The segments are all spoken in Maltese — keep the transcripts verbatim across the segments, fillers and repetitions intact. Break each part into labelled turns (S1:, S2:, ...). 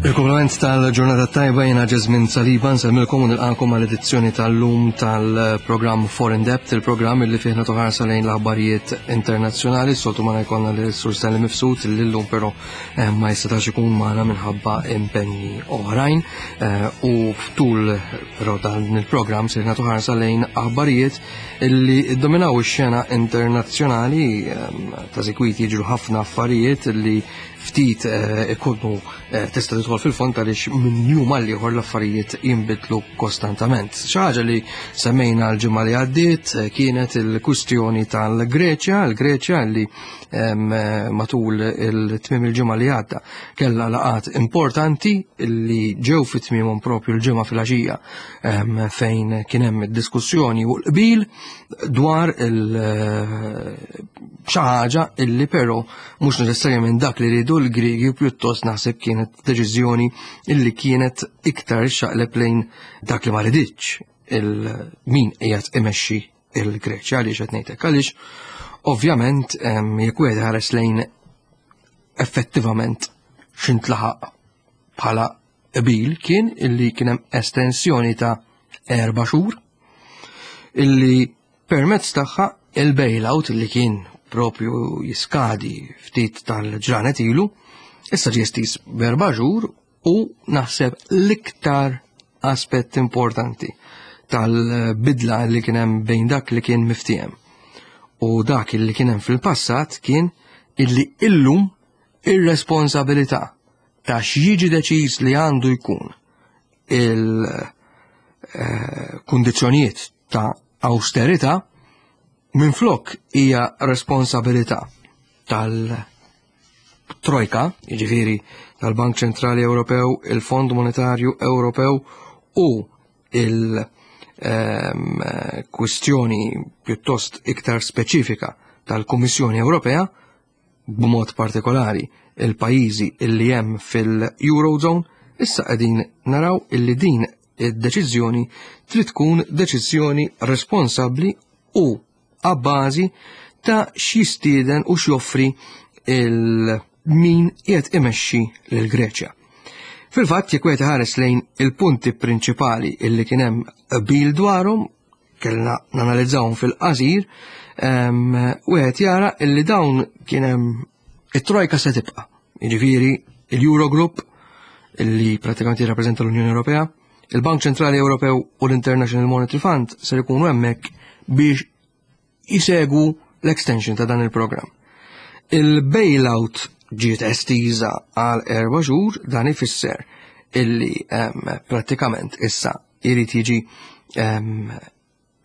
S1: Il-kumplament tal-ġurnata tajba, jiena Jesmond Saliba, nsellmilkom u nilqagħkom għal edizzjoni tal-lum tal-programm Foreign Debt, il-programm li fih nagħtu ħarsa lejn l-aħbarijiet internazzjonali. Soltu ma jkollna l-Sur Stanley Mifsud, l-lum però eh, ma jistax ikun magħna minħabba impenni oħrajn eh, u ftul però dan il-programm se nagħtu ħarsa lejn aħbarijiet illi dominaw ix-xena internazzjonali. eh, ta' sikwit jiġru ħafna affarijiet li ftit ikunu tista' tidħol fil-fond għaliex minn jum għal ieħor l-affarijiet jinbidlu kostantament. Xi ħaġa li semmejna l-ġimgħa li għaddiet kienet il-kwistjoni tal-Greċja, il-Greċja li matul il-tmiem il-ġimgħa li għadda kellha laqgħat importanti li ġew fit tmiemhom propju l-ġimgħa fil-għaxija, fejn kien hemm diskussjoni u l-qbil dwar il xi ħaġa illi però mhux neċessarjament dak li riedu l-Griegi, pjuttost naħseb kienet deċiżjoni illi kienet iktar xaqleb lejn dak li ma riditx il-min qiegħed imexxi il-Greċja. Għaliex qed ngħidlek? Għaliex ovvjament jekk wieħed ħares lejn effettivament x'intlaħaq bħala qbil, kien illi kien hemm estensjoni ta' erba' xhur illi permezz tagħha il-bailout li kien propju jiskadi ftit tal-ġranet ilu, issa ġie estiż b'erba' xhur. U naħseb l-iktar aspett importanti tal-bidla li kien hemm bejn dak li kien miftiehem u dak li kien hemm fil-passat kien illi illum ir-responsabilità ta' x'jiġi deċiż li għandu jkun il-kundizzjonijiet ta' austerità, minflok hija responsabilità tal-Trojka, jiġifieri tal-Bank Ċentrali Ewropew, il-Fond Monetarju Ewropew u il-kwistjoni pjuttost iktar speċifika tal-Kummissjoni Ewropea, b'mod partikolari il-pajjiżi illi hemm fil-Eurozone, issa qegħdin naraw illi din id-deċiżjoni trid tkun deċiżjoni responsabbli u għabbażi ta' x'jistieden u x'joffri il-min qiegħed imexxi lil Greċja. Fil-fatt, jekk wieħed ħares lejn il-punti prinċipali illi kien hemm qbil dwarhom, kellna nanalizzawhom fil-qasir, wieħed jara illi dawn kien hemm it-trojka se tibqa'. Jiġifieri il-Eurogroup, illi pratikament jirrappreżenta l-Unjoni Ewropea, il-Bank Ċentrali Ewropew u l-International Monetary Fund ser ikunu hemmhekk biex jisegwu l-extension ta' dan il-programm. Il-bailout ġiet estiża għal erba' xhur, dan ifisser illi um, prattikament issa irid jiġi um,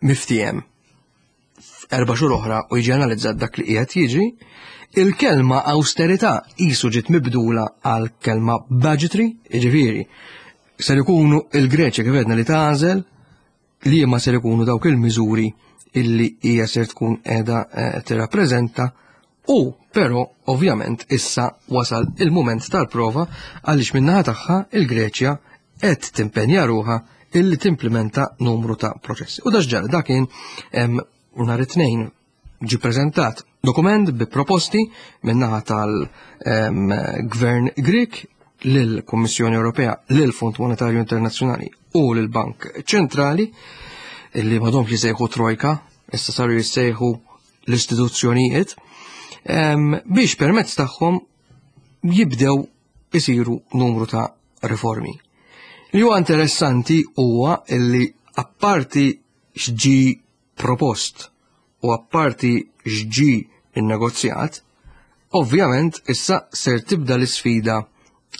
S1: miftiehem erba' xhur oħra u jiġi analizzat dak li qiegħed jiġri. Il-kelma austerità qisu ġiet mibdula għal kelma budgetary, jiġifieri ser ikunu il-Greċja, kif għedna, li tagħżel li ma ser ikunu dawk il-miżuri illi hija ser tkun qiegħda eh, tirrappreżenta. U però ovvjament issa wasal il-mument tal-prova, għaliex min-naħa tagħha il-Greċja qed timpenja ruħha illi timplementa numru ta' proċessi. U da ġara, dak kien nhar it-Tnejn, ġi preżentat dokument bi proposti min-naħa tal-Gvern Grek lill-Kummissjoni Ewropea, lill-Fond Monetarju Internazzjonali u lill-Bank Ċentrali, illi m'għadhomx jissejħu Trojka, issa saru jissejħu l-istituzzjonijiet, biex permezz tagħhom jibdew isiru numru ta' riformi. Li huwa interessanti huwa illi apparti x'ġi propost u apparti x'ġi innegozjat, ovvjament issa ser tibda l-isfida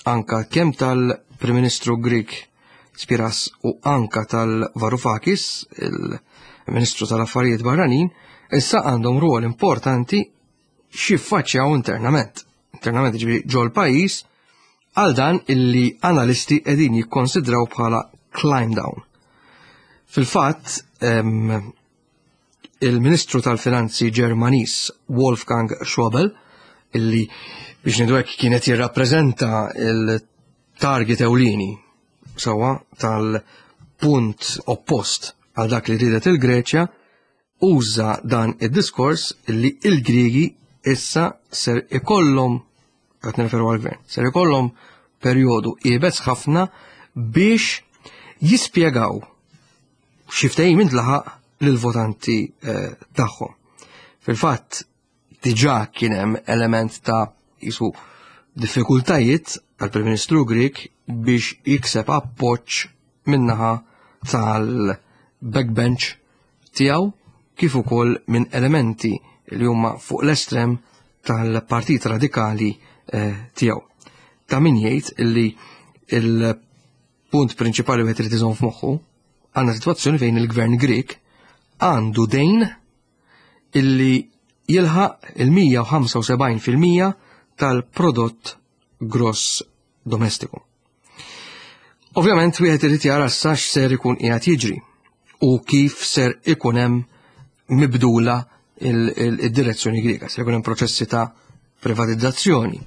S1: anka kemm tal-Prim Ministru Grek Tsipras u anka tal-Varoufakis, il-Ministru tal-Affarijiet Barranin, issa għandhom ruol importanti x'jiffaċċjaw internament. Internament, ġifieri ġol pajjiż, għal dan illi analisti qegħdin jikkonsidraw bħala climb down. Fil-fatt, il-Ministru tal-Finanzi Ġermaniż Wolfgang Schäuble, illi biex ngħidu hekk kienet jirrappreżenta il-target ewlieni sewwa tal-punt oppost għal dak li ridet il-Greċja, uża dan id-diskors li il-Griegi issa ser ikollhom, qed nirreferu għal-gvern, ser ikollhom perjodu iebes ħafna biex jispjegaw xi ftehim intlaħaq lill-votanti eh, tagħhom. Fil-fatt diġà kien hemm element ta' jisu diffikultajiet għall-Prim Ministru Grek biex jikseb appoġġ min-naħa tal-backbench tiegħu kif ukoll minn elementi li huma fuq l-estrem tal-Partit Radikali eh, tiegħu. Ta' min jgħid illi il-punt prinċipali wieħed irid iżomm f'moħħu, għandna sitwazzjoni fejn il-gvern Grek għandu dejn illi jilħaq il-mija u ħamsa u sebgħin fil-mija tal-prodott gross domestiku. Ovvjament wieħed irid jara issa x'ser ikun qiegħed jiġri u kif ser ikun hemm mibdula il-direzzjoni Griega. Ser ikun hemm proċessi ta' privatizzazzjoni,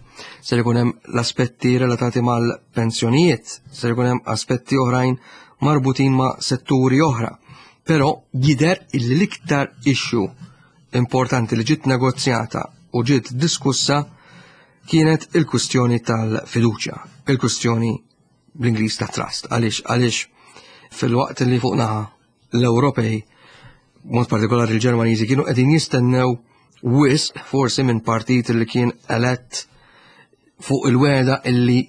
S1: ser ikun hemm l-aspetti relatati mal-pensjonijiet, ser ikun hemm aspetti oħrajn marbutin ma' setturi oħra. Però jidher illi l-iktar issue importanti li ġiet negozjata u ġiet diskussa kienet il-kustjoni tal-fiduċja, il-kustjoni bl-Ingliż ta' trust. Għaliex? Għaliex fil-waqt li fuq naħa l-Ewropej, mod partikolari l-Ġermaniżi, kienu qegħdin jistennew wisq forsi minn partit li kien elett fuq il-wegħda illi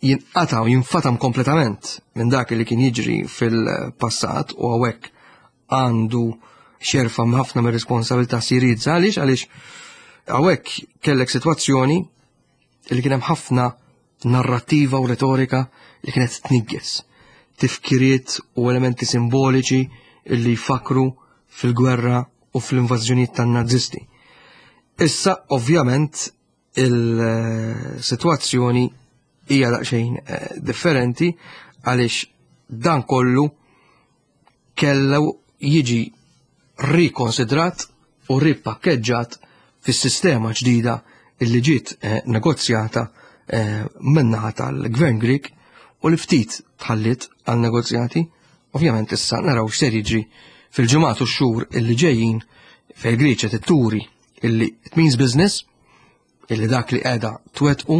S1: jinqata' u jinfatam kompletament minn dak li kien jiġri fil-passat, u hawnhekk għandu xerfa ħafna mir responsabilità Syriza. Għaliex? Għaliex hawnhekk kellek sitwazzjoni li kien hemm ħafna narrativa u retorika li kienet tnigges tifkiriet u elementi simboliċi illi jfakru fil-gwerra u fl-invażjonijiet tan-nazisti. Issa ovvjament il-sitwazzjoni hija daqsxejn eh, differenti, għaliex dan kollu kellu jiġi rikonsidrat u ripakkeġġat fis-sistema ġdida illi ġiet eh, negozjata eh, min-naħa tal-Gvern Grek u li ftit tħallit għal negozjati. Ovvjament issa naraw x'ser jiġri fil-ġimgħat u x-xhur illi ġejjin, fejn Greċja titturi illi it means business, illi dak li qiegħda twettqu,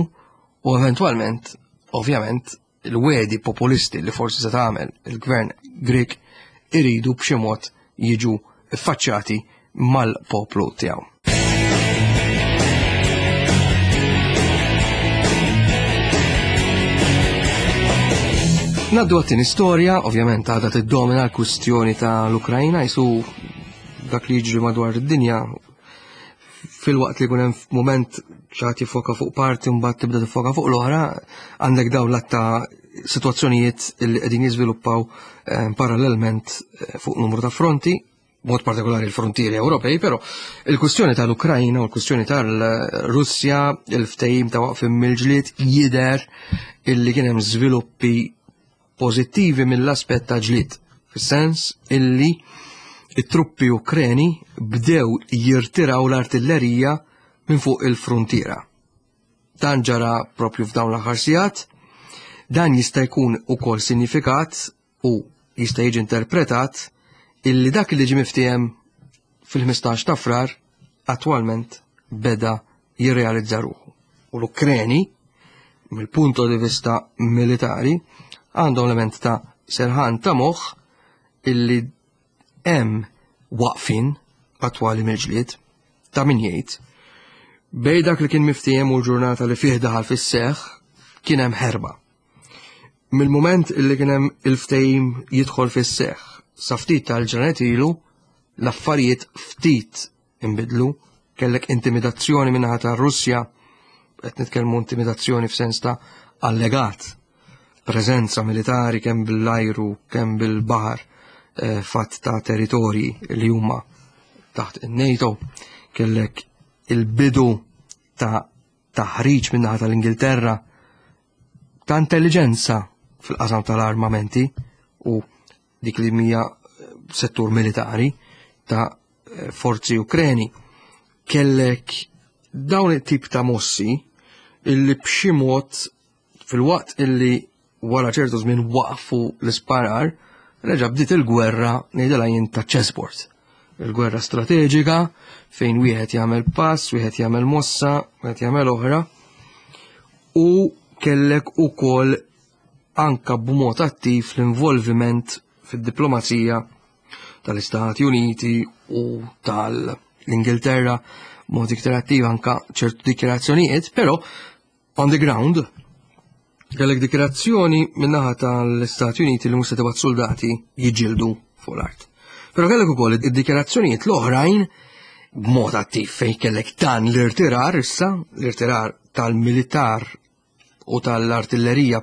S1: u eventwalment ovvjament il-wegħdi populisti li forsi se tagħmel il-gvern Grek iridu b'xi mod jiġu ffaċċjati mal-poplu tiegħu. Ngħaddu għat-tieni storja. Ovvjament għadha tiddomina l-kwistjoni ta' l-Ukrajna, jisu dak li jiġri madwar id-dinja, fil-waqt li jkun hemm moment ċat jifoka fuq parti, mbagħad tibda tifoka fuq l-oħra, għandek dawn l ta' situazzjonijiet li qegħdin jiżviluppaw eh, parallelment eh, fuq numru ta' fronti, mod partikolari l-frontieri Ewropej, però il-kwistjoni tal-Ukrajna u l-kwistjoni tal-Russja, il-ftehim ta' waqfim mill-ġlied, jidher illi kien hemm żviluppi pożittivi mill-aspett ta' ġlied, fis-sens illi it-truppi Ukreni bdew jirtiraw l-artillerija minn fuq il-frontiera. Dan ġara propju f'dawn l-aħħar sigħat. Dan jista' jkun ukoll sinifikat u jista' jiġi interpretat illi dak li ġie miftiehem fil-ħmistax ta' Frar attwalment beda jirrealizza ruħu. U l-Ukreni, mill-punto di vista militari, għandhom element ta' serħan ta' moħħ illi hemm waqfin attwali mill-ġlied. Ta' min jgħid, bejn dak li kien miftiehem u l-ġurnata li fih daħal fis-seħħ kien hemm ħerba. Mill-moment illi kien hemm il-ftehim jidħol fis-seħħ sa ftit tal-ġranet ilu, l-affarijiet ftit inbidlu. Kellek intimidazzjoni min-naħa ta' Russja, qed nitkellmu intimidazzjoni f'sens ta' allegat preżenza militari kemm bil-ajru kemm bil-baħar eh, fatt ta' territorji li huma taħt in-NATO. Kellek il-bidu ta' taħriġ min-naħa tal-Ingilterra ta' intelligenza fil-qasam tal-armamenti u dik li mija settur militari ta' eh, forzi Ukreni. Kellek dawn it-tip ta' mossi illi b'xi mod, fil-waqt illi wara ċertu żmien waqfu l-isparar, reġa' bdiet il-gwerra, ngħidilha jien, ta' chessboard. Il-gwerra strateġika fejn wieħed jagħmel pass, wieħed jagħmel mossa, wieħed jagħmel oħra. U kellek ukoll anka b'mod attiv l-involviment fid-diplomazija tal-Istati Uniti u tal-Ingilterra b'mod iktar attiv, anka ċertu dikjarazzjonijiet, però on the ground kellek dikjarazzjoni min-naħa tal-Istati Uniti li mhux se tibgħat soldati jiġġieldu fuq l-art. Però kellek ukoll id-dikjarazzjonijiet l-oħrajn b'mod attiv fejn kellek dan l-irtirar issa, l-irtirar tal-militar u tal-artillerija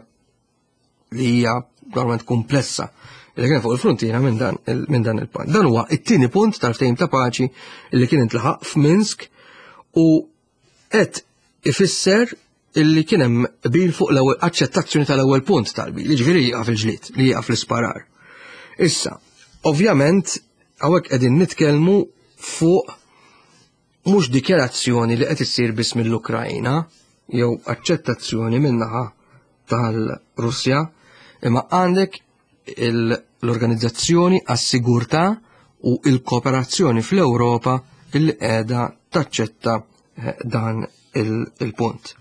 S1: li hija normalment komplessa li kien fuq il-frontiera minn dan minn dan il-punt. Dan huwa it-tieni punt tal-ftehim ta' paċi li kien intlaħaq f'Minsk u qed ifisser illi kien hemm qbil fuq l-ewwel aċċettazzjoni tal-ewwel punt tal-qbil, jiġifieri jieqaf il-ġlied, li jieqaf l-isparar. Issa, ovvjament, hawnhekk qegħdin nitkellmu fuq mhux dikjarazzjoni li qed issir biss mill-Ukrajna jew aċċettazzjoni min-naħa tal-Russja, imma għandek l-Organizzazzjoni għas-Sigurtà u l-Kooperazzjoni fl-Ewropa illi qiegħda taċċetta eh, dan il-punt.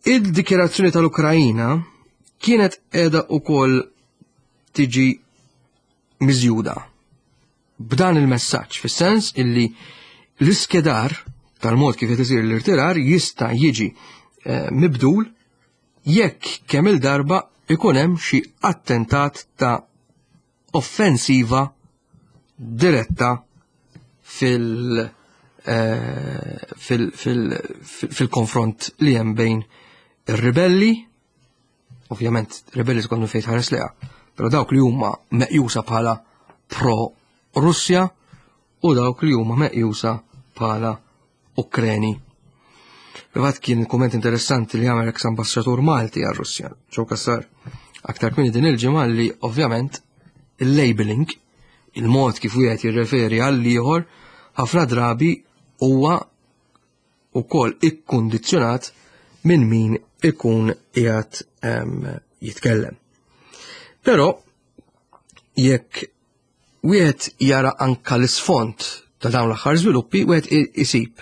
S1: Il-dikjarazzjoni tal-Ukrajina kienet qiegħda ukoll tiġi miżjuda b'dan il-messaġġ, fis-sens illi l-iskedar tal-mod kif qed isir l-irtirar jista' jiġi eh, mibdul jekk kemm il-darba ikun hemm xi attentat ta' offensiva diretta fil- eh, fil- fil- fil-konfront li hemm bejn ir-ribelli, ovvjament ribelli tkun fejn tħares leha, però dawk li huma meqjusa bħala pro-Russja u dawk li huma meqjusa bħala Ukreni. Fil-fatt kien kumment interessanti li għamel ex ambasċatur Malti għal Russja, Joe Cassar, aktar kmieni din il-ġimgħa, li ovvjament il-labeling, il-mod kif wieħed jirreferi għal ieħor, ħafna drabi huwa ukoll ikkundizzjonat minn min ikun qiegħed jitkellem. Però jekk wieħed jara anka l-isfond ta' dawn l-aħħar żviluppi, wieħed isib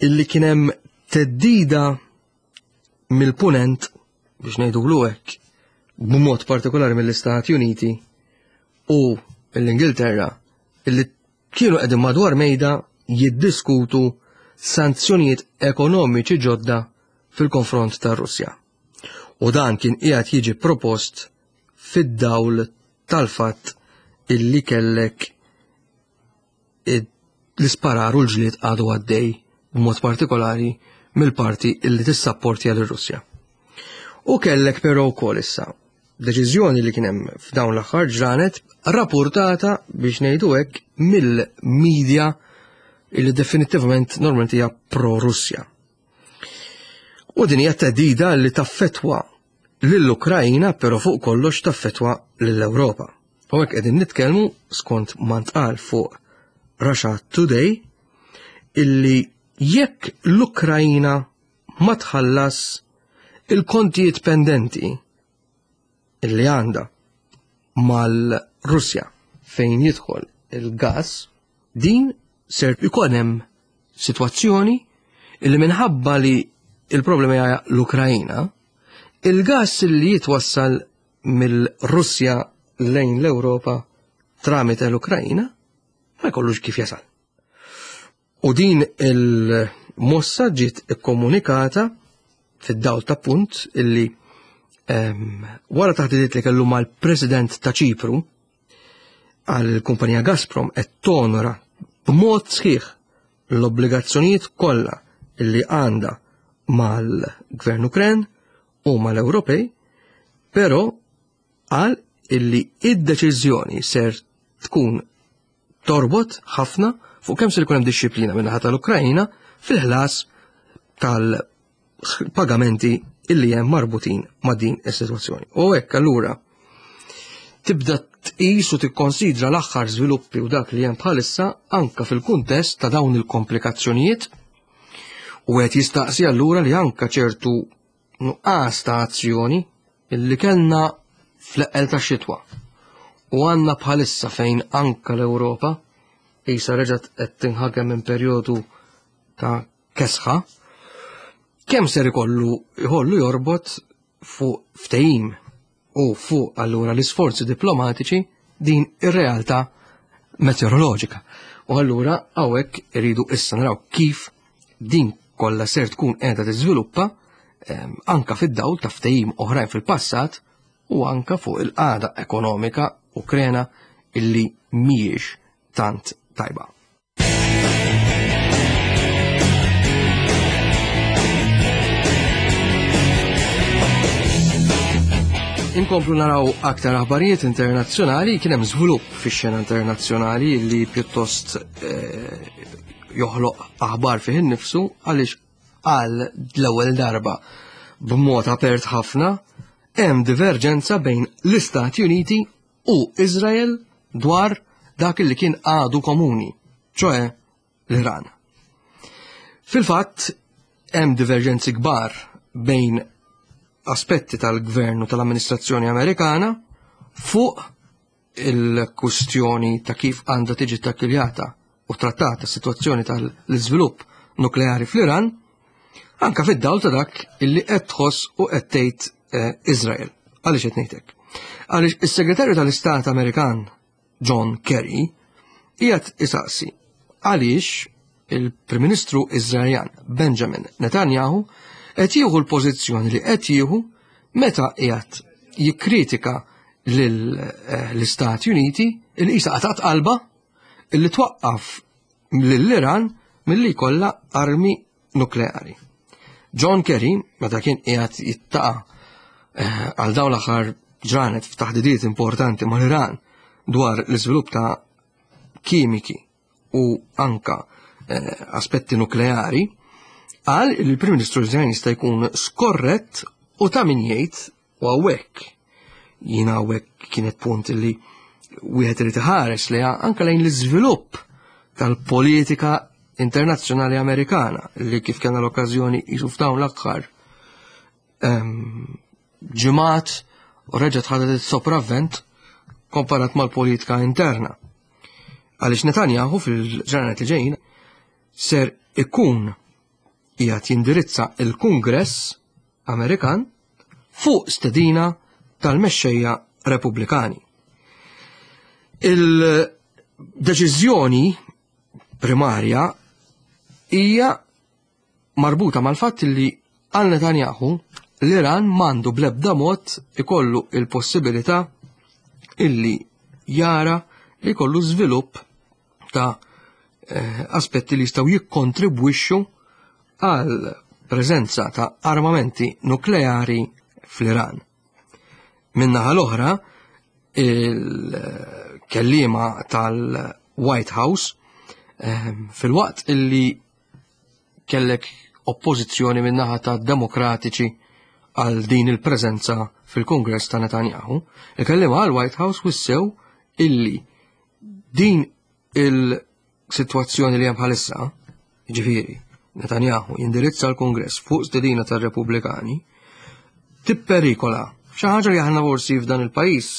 S1: illi kien hemm theddida mill-punent, biex ngħidu hekk, b'mod partikolari mill-Istati Uniti u l-Ingilterra, illi kienu qegħdin madwar mejda jiddiskutu sanzjonijiet ekonomiċi ġodda fil-konfront tar-Russja. U dan kien qiegħed jiġi propost fid-dawl tal-fatt illi kellek l-isparar u l-ġlied għadu għaddej, b'mod partikolari mill-parti illi tissapportja lir-Russja. U kellek però wkoll issa deċiżjoni li kien hemm f'dawn l-aħħar ġranet, rapportata, biex ngħidu hekk, mill-media illi definittivament normalment hija pro-Russja. U din hija theddida li taffetwa lill-Ukrajna, però fuq kollox taffetwa lill-Ewropa. U hekk qegħdin nitkellmu, skont ma ntqal fuq Russia Today, illi jekk l-Ukrajna ma tħallas il-kontijiet pendenti illi għandha mal-Russja fejn jidħol il-gas, din ser ikun hemm sitwazzjoni illi minħabba li il-problema hija l-Ukrajna, il-gas li jitwassal mill-Russja lejn l-Ewropa tramite l-Ukrajna ma jkollux kif jasal. U din il-mossa ġiet ikkomunikata fid-dawl ta' punt illi um, wara taħdidiet li kellu mal-President ta' Ċipru għal kumpanija Gazprom qed tonora b'mod sħiħ l-obbligazzjonijiet kollha illi għandha mal-Gvern Ukren u mal-Ewropej, però qal illi id-deċiżjoni ser tkun torbot ħafna fuq kemm ser ikun hemm dixxiplina minn naħa tal-Ukrajna fil-ħlas tal-pagamenti illi hemm marbutin ma' din is-sitwazzjoni. U hekk allura tibda tqis u tikkonsidra l-aħħar żviluppi u dak li hemm bħalissa anka fil-kuntest ta' dawn il-komplikazzjonijiet, u qed jistaqsi allura li anka ċertu nuqqas ta' azzjoni illi kellna fl-eqqel ta' xitwa u għandna bħalissa, fejn anka l-Ewropa issa reġgħet qed tinħakem minn perjodu ta' kesħa. Kemm ser ikollu jkollu jorbot fuq ftehim u fuq allura l-isforzi diplomatiċi din ir-realtà meteoroloġika. U allura hawnhekk iridu issa naraw kif din kollha ser tkun qiegħda tiżviluppa ehm, anka fid-dawl ta' ftehim oħrajn fil-passat u anka fuq il-qagħda ekonomika Ukrena illi mhijiex tant tajba. Inkomplu naraw aktar aħbarijiet internazzjonali, kien hemm żvilupp fix-xena internazzjonali li pjuttost eh, joħloq aħbar fih innifsu għaliex għal l-ewwel darba b'mod apert ħafna hemm diverġenza bejn l-Istati Uniti u Izrael dwar dak li kien għadu komuni, ċoe l-Iran. Fil-fatt, hemm diverġenzi kbar bejn aspetti tal-gvern u tal-amministrazzjoni Amerikana fuq il-kustjoni ta' kif għandha tiġi takkiljata u trattata s-sitwazzjoni tal-iżvilupp nukleari fl-Iran, anka fid-dawl ta' dak illi qed tħoss u qed tgħid eh, Izrael. Għaliex qed ngħidlek? Għaliex is-Segretarju tal-Istat Amerikan John Kerry qiegħed isaqsi għaliex il-Prim Ministru Iżraeljan Benjamin Netanyahu qed jieħu l-pożizzjoni li qed jieħu meta qiegħed jikkritika lill-Istati Uniti il qisha qatat qalba illi twaqqaf lill-Iran milli jkollha armi nukleari. John Kerry, meta kien qiegħed jittaqa' eh, għal dawn l-aħħar ġranet f'taħdidiet importanti mal-Iran dwar l-iżvilupp ta' kimiki u anka eh, aspetti nukleari, qal li l-Prim Ministru Iżraeljan jista' jkun skorrett u ta' min jgħid u hawnhekk jiena hawnhekk kienet punt li wieħed irid iħares li anka lejn l-iżvilupp tal-politika internazzjonali Amerikana li kif kellna l-okkażjoni jisu f'dawn l-aħħar ehm, ġimgħat u reġgħet ħadet is-sopravvent komparat mal-politika interna. Għaliex Netanyahu fil-ġranet li ġejjin ser ikun qiegħed jindirizza il-Kungress Amerikan fuq stedina tal-mexxejja Repubblikani. Il-deċiżjoni primarja hija marbuta mal-fatt li għal Netanyahu l-Iran mandu bl-ebda mod ikollu il-possibilità illi jara li jkollu żvilupp ta' eh, aspetti li jistgħu jikkontribwixxu għal preżenza ta' armamenti nukleari fl-Iran. Min-naħa l-oħra, il-kellima tal-White House ehm, fil-waqt illi kellek oppożizzjoni min-naħa ta' demokratiċi għal din il-preżenza fil-Kongress ta' Netanyahu, il-kellima għal White House wissew illi din il-sitwazzjoni li hemm bħalissa, ġifieri, Netanyahu jindirizza l-Kongress fuq stedina tar-Repubblikani, tipperikola xi ħaġa li aħna forsi f'dan il-pajjiż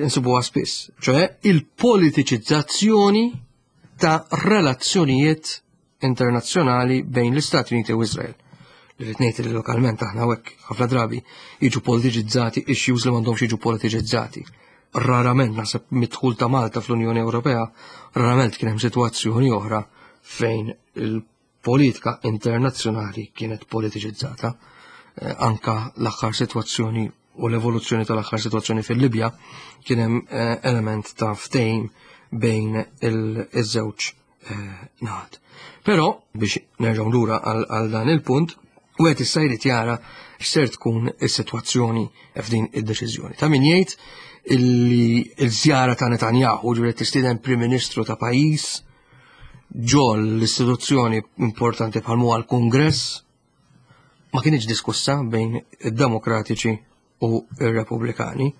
S1: insibuha spiss, ċoe il-politiċizzazzjoni ta' relazzjonijiet internazzjonali bejn l-Istati Uniti u Izrael. Li rrid ngħid li lokalment aħna hawnhekk ħafna drabi jiġu politiċizzati issues li m'għandhomx jiġu politiċizzati. Rarament naħseb mid-dħul ta' Malta fl-Unjoni Ewropea, rarament kien hemm sitwazzjoni oħra fejn il-politika internazzjonali kienet politiċizzata. Eh, anka l-aħħar sitwazzjoni u l-evoluzzjoni tal-aħħar sitwazzjoni fil-Libja kien hemm eh, element ta' ftehim bejn il-żewġ eh, naħat. Però biex nerġgħu lura għal dan il-punt, wieħed issa jrid jara x'ser tkun is-sitwazzjoni f'din id-deċiżjoni. Ta' min jgħid illi l-żjara ta' Netanyahu ġifieri tistieden Prim Ministru ta' pajjiż ġol l-istituzzjoni importanti bħal huwa l-Kungress ma kienx diskussa bejn id-Demokratiċi u ir-Repubblikani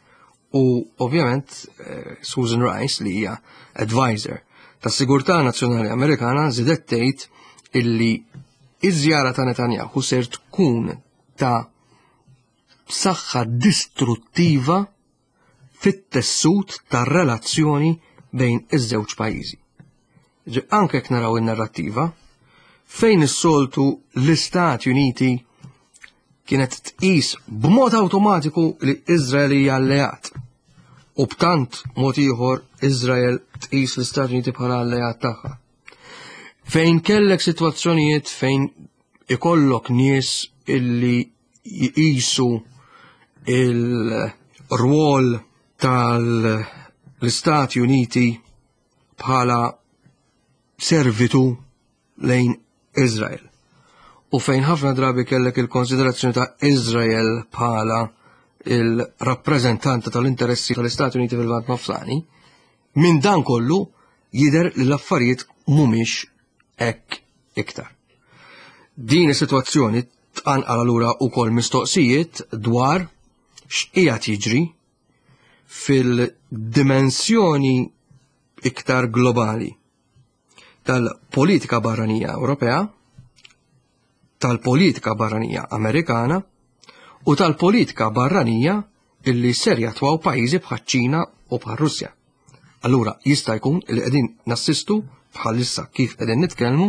S1: u ovvjament eh, Susan Rice li hija advisor tas-Sigurtà Nazzjonali Amerikana żidet tgħid illi iż-żjara ta' Netanyahu ser tkun ta' saħħa distruttiva fit-tessut tar-relazzjoni bejn iż-żewġ pajjiżi. Anke jekk naraw in-narrattiva, Fejn is-soltu l-Istati Uniti kienet tqis b'mod awtomatiku li Izrael hija alleat. U b'tant mod ieħor Izrael tqis l-Istati Uniti bħala alleat tagħha. Fejn kellek sitwazzjonijiet fejn ikollok nies illi jqisu il-rwol tal-Istati Uniti bħala servitu lejn Izrael. U fejn ħafna drabi kellek il-konsiderazzjoni ta' Izrael bħala il-rappreżentanta tal-interessi tal-Istati Uniti fil-Lvant Nofsani, minn dan kollu jidher li l-affarijiet mhumiex hekk iktar. Din is-sitwazzjoni tqanqal allura wkoll mistoqsijiet dwar x'qiegħed jiġri fil-dimensjoni iktar globali tal-politika barranija Ewropea, tal-politika barranija Amerikana u tal-politika barranija illi ser jatwaw pajjiżi bħaċ-Ċina u bħar-Russja. Allura jista' jkun li qegħdin nassistu bħalissa kif qegħdin nitkellmu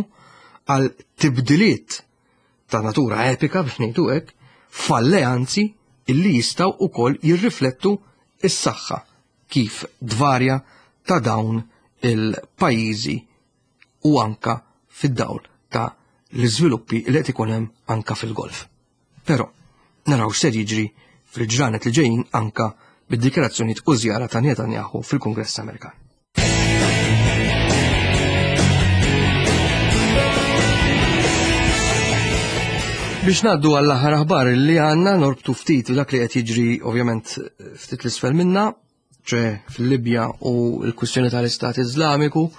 S1: għal tibdiliet ta' natura epika biex ngħidu hekk f'alleanzi illi jistgħu wkoll jirriflettu is-saħħa kif dvarja ta' dawn il-pajjiżi u anka fid-dawl ta' l-iżviluppi li qed ikun hemm anka fil-Golf. Però naraw x'ser jiġri fil-ġranet li ġejjin anka bid-dikjarazzjonijiet u żjara ta' Netanyahu fil-Kungress Amerikan. Biex ngħaddu għall-aħħar aħbar li għandna norbtu ftit dak li qed jiġri ovvjament ftit l-isfel minna, ċe fil-Libja u l-kwistjoni tal-Istat Iżlamiku,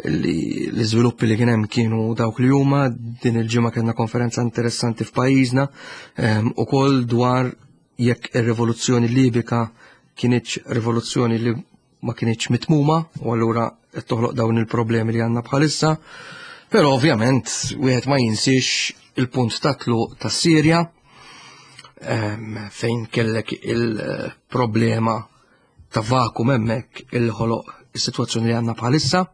S1: li l-iżviluppi li kien hemm kienu dawk li huma. Din il-ġimgħa kellna konferenza interessanti f'pajjiżna ukoll dwar jekk ir-rivoluzzjoni Libika kienitx rivoluzzjoni li ma kienitx mitmuma u allura qed toħloq dawn il-problemi li għandna bħalissa. Però ovvjament wieħed ma jinsiex il-punt ta' tluq tas-Sirja fejn kellek il-problema ta' vakum hemmhekk il-ħoloq is-sitwazzjoni li għandna bħalissa.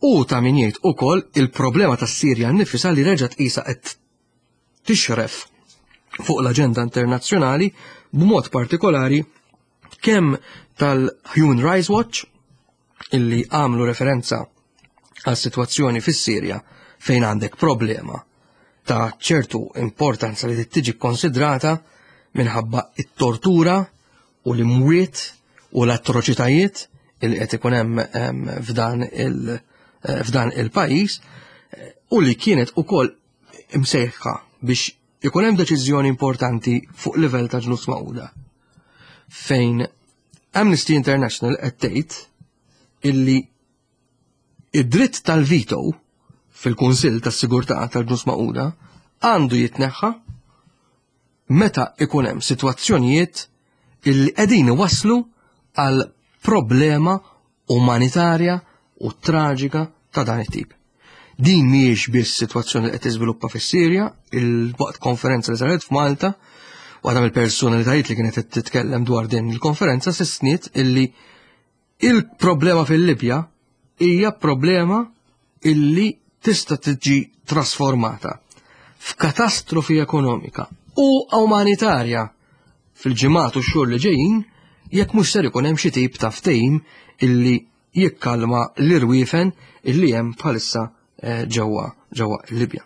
S1: U ta' min jgħid ukoll il-problema tas-Sirja nnifisha li reġgħet qisha qed tixref fuq l-aġenda internazzjonali b'mod partikolari kemm tal-Human Rights Watch illi għamlu referenza għas sitwazzjoni fis-Sirja fejn għandek problema ta' ċertu importanza li tiġi konsidrata minħabba it-tortura u l-imwiet u l-atroċitajiet illi qed ikun hemm f'dan il- f'dan il-pajjiż u li kienet ukoll imsejħa biex ikun hemm deċiżjoni importanti fuq livell ta' Ġnus Magħquda fejn Amnesty International qed tgħid illi id-dritt tal-veto fil-Kunsill tas-Sigurtà tal-Ġnus Magħquda għandu jitneħħa meta ikun hemm sitwazzjonijiet illi qegħdin iwasslu għal problema umanitarja u traġika ta' dan it-tip. Din mhijiex biss sitwazzjoni li qed tiżviluppa fis-Sirja, il-waqt konferenza li saret f'Malta, waħda mill-personalitajiet li kienet qed titkellem dwar din il-konferenza sostniet illi il-problema fil-Libja hija problema illi tista' tiġi trasformata f'katastrofi ekonomika u umanitarja fil-ġimgħat u x-xhur li ġejjin jekk mhux ser ikun hemm xi tip ta' ftehim illi jikkalma l-irwiefen illi hemm bħalissa ġewwa ġewwa Libja.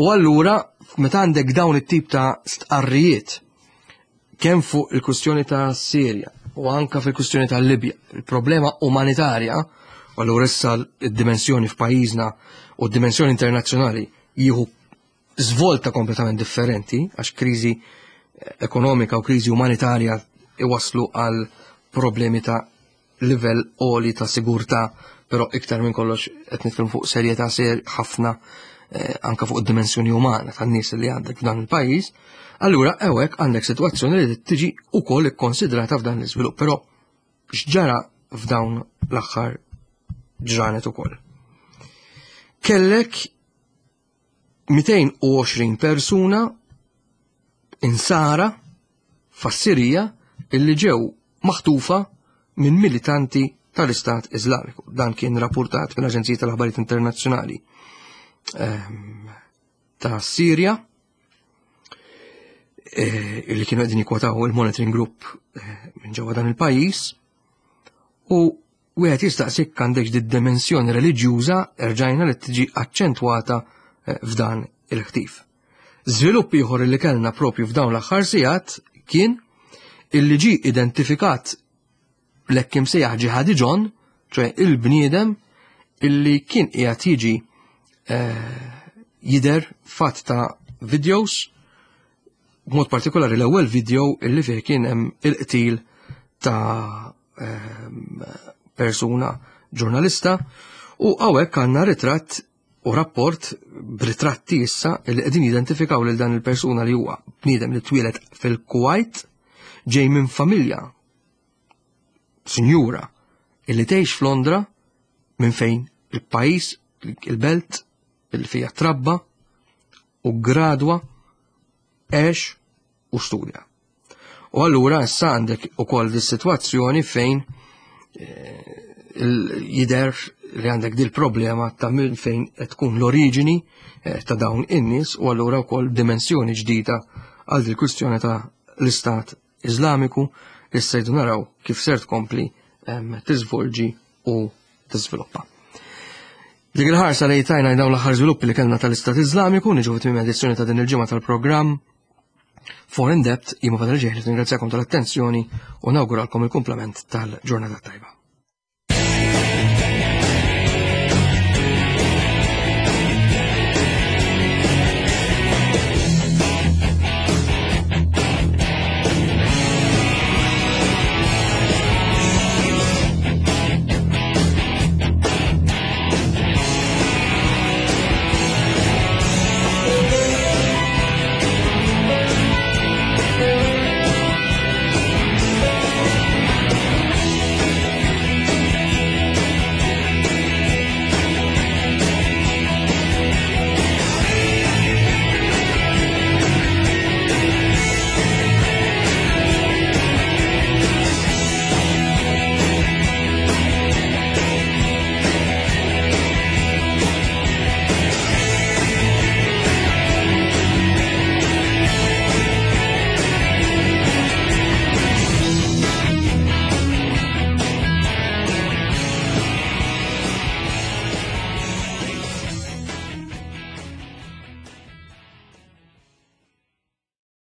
S1: U allura meta għandek dawn it-tip ta' stqarrijiet kemm fuq il-kwistjoni ta' Sirja u anka fil-kwistjoni ta' Libja, il-problema umanitarja, u allura issa d-dimensjoni f'pajjiżna u d-dimensjoni internazzjonali jieħu żvolta kompletament differenti għax kriżi ekonomika u kriżi umanitarja iwasslu għal problemi ta' livell għoli ta' sigurtà, però iktar minn kollox qed nitkellmu fuq serjetà ser ħafna eh, anka fuq id-dimensjoni umana tan-nies li għandek f'dan il-pajjiż. Allura hawnhekk għandek sitwazzjoni li tiġi wkoll ikkonsidrata f'dan l-iżvilupp, però x'ġara f'dawn l-aħħar ġranet ukoll. Kellek mitejn u għoxrin persuna insara fas-Sirija illi ġew maħtufa minn militanti tal-Istat Iżlamiku. Dan kien rapportat mill-Aġenzija tal-Aħbarijiet Internazzjonali ehm, ta' Sirja eh, illi kienu qegħdin jikkwotaw il-Monitoring Group eh, minn ġewwa dan il-pajjiż u wieħed jistaqsik għandek di dimensjoni reliġjuża erġajna li tiġi aċċentwata eh, f'dan il-ħtif. Żvilupp ieħor li kellna propju f'dawn l-aħħar sigħat kien illi ġi identifikat l-hekk imsejjaħ Ġihadi John, ċoè il-bniedem illi kien qiegħed jiġi eh, jidher f'għadd ta' videos, b'mod partikolari l-ewwel video illi fih kien hemm il-qtil ta' ehm, persuna ġurnalista u hawnhekk għandna ritratt u rapport b'ritratti issa li qegħdin jidentifikaw lil dan il-persuna li huwa bniedem li twieled fil-Kuwait, ġej minn familja sinjura illi tgħix f'Londra minn fejn il-pajjiż, il-belt il fija trabba u gradwa, għex u studja. U allura issa għandek ukoll dis-sitwazzjoni fejn eh, jidher li għandek dil problema ta' minn fejn qed tkun l-oriġini eh, ta' dawn in-nies u allura wkoll dimensjoni ġdida għal dil kwistjoni ta' l-Istat Iżlamiku li sejdu naraw kif ser tkompli tiżvolġi u tiżviluppa. Dik il-ħarsa li tajna dawn l-aħħar żviluppi li kellna tal-Istat Iżlamiku niġu fit edizzjoni ta' din il-ġimgħa tal-programm For In Depth. Jien Fadal Ġeħli, ringrazzjakom tal-attenzjoni u nawguralkom il-kumplament tal-ġurnata tajba.